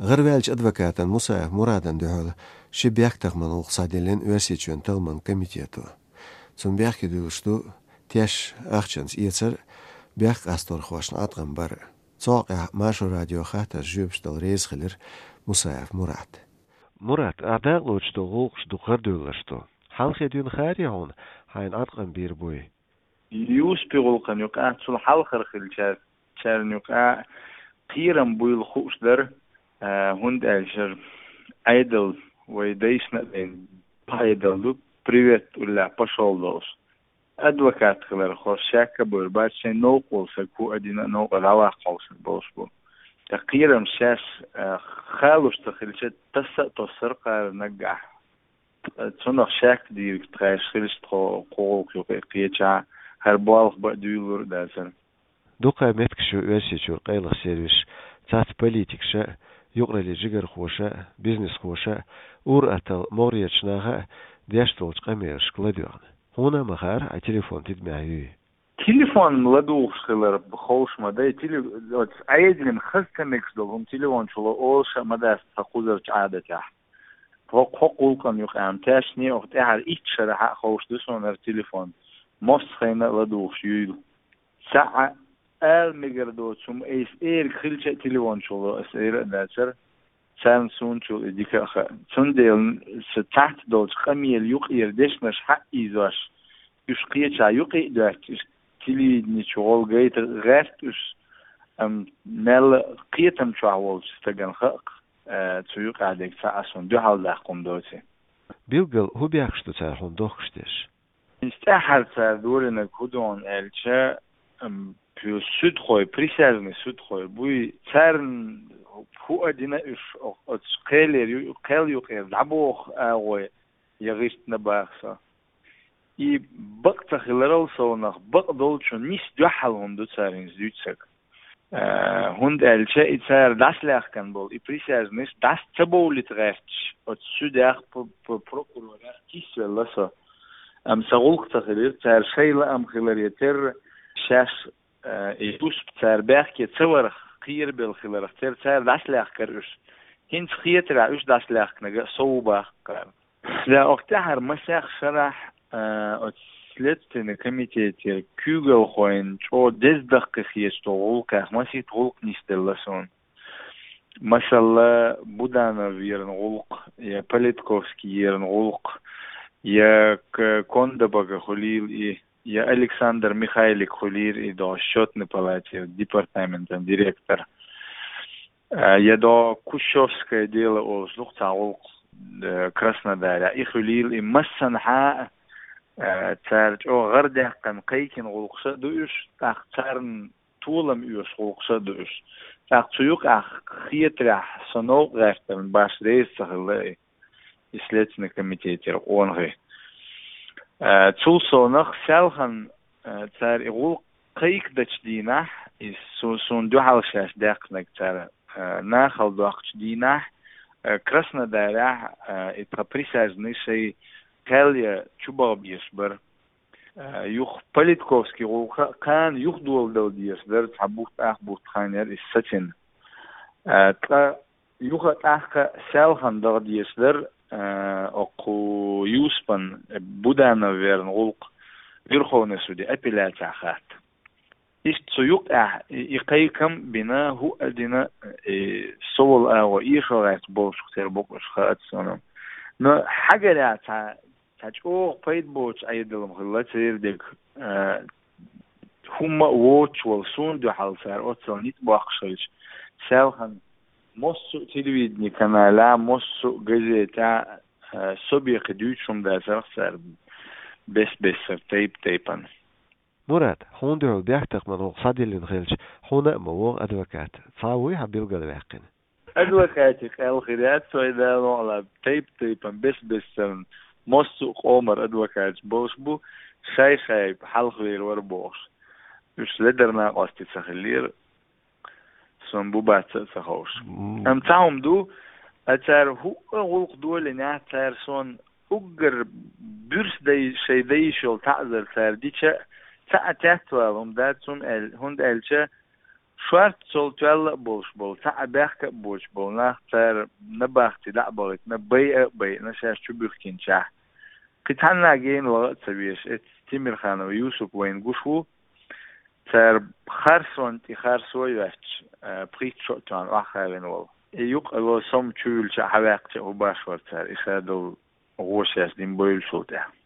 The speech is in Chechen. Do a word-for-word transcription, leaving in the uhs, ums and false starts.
ГӀарваьллачу адвокатан Мусаев Мурадан дуьхьал ши бехктакхаман гӀуллакх схьадиллина Оьрсийчоьнан талламан комитето. Цунна бехке дуьллуш ду теш ахчанца эцар а, бехк къасторхошна Ӏаткъам бар а. Цу хьокъехь Маршо радион хаттаршна жоьпаш дала реза хилира Мусаев Мурад. Мурад, ахь дакъалоцуш долу гӀуллакхаш дукха гӀарадевлларш ду. Хьалхе дуьйна хаьрий хьуна хьайна Ӏаткъам бийр буй? Юсупан гӀуллакхана юкъахь, цул хьалхара хиллачаьрна юкъахь кхерам буйла хууш дара, а, хӀунда аьлча Ӏедал вай дайшна а дайна Ӏедал ду, привет уллехь пошёл долуш. Адвокат хиларх хӀорш шек а бевр бац, шайн новкъа волу стаг хӀу а дина а, новкъа дӀаваккха волу стаг болуш бу. Ткъа кхерам шаьш, а, халуш ца хилча, тасса а тоссара кхара наггахь. Цунах шек дийриг тхаьш хилча, тхо кху гӀуллакх юкъе кхечахь, хӀара болх бан а дуьйлалур а дацара. Дукха меттигаш ю Оьрсийчуьра къайлаха сервисаш, цац политикаша а, юкъараллин жигархоша а, бизнесхоша а, ур-атталла могӀарерчу наха а деш долчу къамелашка ладоьгӀна. Хьуна а ма хаьара, хьайн телефон тидамехь юй? Телефон ладугӀуш хилар ховш ма дай, теле-, оцу Ӏедална хаза ца мегаш долу хӀума телефон чу ло олуш а ма дац тхан кхузарчу Ӏадатехь. ХӀокху, хӀокху гӀуллакхана юкъахь тешне, оха тӀаьхьара итт шарахь а ховш ду суна хӀара телефон. Массо а хенахь а ладугӀуш юйла. Цхьаъ а ала мегар доцу хӀума айса эриг хилча а телефон чу ло аса эр а дацара. Царна суна чул и дика а хаьа. Цундела сан цхьацца долчу къамелан юкъара дешнаш хьаийзош, уьш кхечахь юкъе а доьттича, телевидени чу гӀолла гайта гӀерта уьш, амма мелла а кхетам чохь волчу стагана хаьа-кх, а, цу юкъахь дерг цхьа а суна дуьхьал даккха хӀума доций. Билггал хӀун бехкаш ду цара хьуна дохкуш дерш? Иза тӀаьххьара цара долийнарг хӀун ду аьлча, ам, пу-, суьдхой, присяжный суьдхой буй, царна хӀу а дина уьш, о-, оцу кхелера ю-, кхел юкъера дӀабоху агӀой я гӀиртина баха со. И бакъ ца хиларал совнах, бакъ долчун нис дуьхьал хӀума ду цара хӀинца дуьйцург. Э, хӀунда аьлча и цара дӀасалаьхкина болу, и присяжныйш дӀаса ца бовлийта гӀерташ, оцу суьдех, п-, п-, прокурорех кийсавелла со. Амма сан гӀуллакх ца хилира, цара шайн лаам хиларе терра, шаьш, э, и Юсуп цара бехке ца варх кхерабелла хиларх терра, цара дӀасалаьхкара уьш. ХӀинца хетарехь уьш дӀасалаьхкинарг а сов бу-кх кхара. Да, оха тӀаьххьара масех шарахь, а, оцу Следственный комитетера куьйгалхойн чӀогӀа деза даккхий хеташ долу гӀуллакхех масийтта гӀуллакх нисделла суна. Масала, Буданов веран гӀуллакх, я Политковский еран гӀуллакх, я К-, Кондабага хуьлийла и, я Александр Михайлик хуьлийра и до счётной палатера департаментан директор. А, я до Кущевское дело олуш ду-кх цхьа гӀуллакх, э, Краснодарехь. И хуьлийла и массанхьа а, э, цара чӀогӀа гӀарадаьккхина кхайкхина гӀуллакхаш а ду уьш, тӀаккха царна толам оьшу гӀуллакхаш а ду уьш. ТӀаккха цу юкъахь хетарехь со новкъа гӀертарна башха реза ца хилла и. И Следственный комитетера къонахий. Э, цул совнах селхана, э, цара и гӀуллакх кхайкхадечу дийнахь, и су-, суна дуьхьал шаьш даьккхинарг цара, э, нахала доккхучу дийнахь, э, Краснодарехь, э, и тхан присяжный шайн кхел я чубаха безаш бара. Э, юха Политковский гӀуллакх а кхана юха доладала дезаш дара, цхьа бутт, ах бутт хан яра иза сацийна. Э, ткъа юха тӀаккха селхана даха дезаш дара, э, окху Юсупан, э, Буданов веран гӀуллакх Верховный суде апелляцехь хатта. Иштта цу юкъехь и, и кхайкам а бина, хӀу а дина, и со волу агӀо эшо гӀерташ болчух тера бу-кх уьш, хаац суна. Но хьагарехь цхьа, цхьа чӀогӀа пайда боцуш Ӏедалан хилла церан дерг, а, хӀумма а воцуш волу суна дуьхьал цара оццул ницкъ боккхуш хилча, селхана массо а телевидени каналехь, массо а газетехь, а, со бен кхин дуьйцуш хӀума дацара-кх цара бес-бессара, тайп-тайпана. Мурад, хьуна дуьхьал бехктакхаман гӀуллакх схьадиллина хилча, хьуна а ма вогӀу адвокат. Цхьа вуй хьан билгалваьккхина? Адвокатийн къаьл хир яц вайн, Дала мукъ лахь, тайп-тайпана, бес-бессарна, массо а къомара адвокаташ болуш бу, шай-шай хьалхавер вара бохуш. Уьш ледара накъостий ца хиллера. Сон бу бац а ца ховш. М. Амма цхьа хӀума ду, а цара хӀуъа гӀуллакх долийнехь, цара сон уггар буьрса дай-, шайн дайша йолу таӀзар цара дича а, цхьа а теттавала хӀума дац, хӀунда аьл-, хӀунда аьлча Шортта цул тоьлла а болуш болу, цхьа а бехк а боцуш болу нах, цара набахти дӀа а бахийтина, байа а байина, шаьш чу буьхкинчахь. Кхин цхьанна гена ваха а ца везаш, эцу Тимирханов Юсуп вайна гуш ву, цара харсонна тӀе харсо а йоьттуш, а, пхийтта шо а тоьхна охьахаьвина волу. И юкъа ло сом чуьйлча хьаваьккхича а хӀун баш вара цара, и ша долу гӀо шаьш дина бевллачул тӀаьхьа.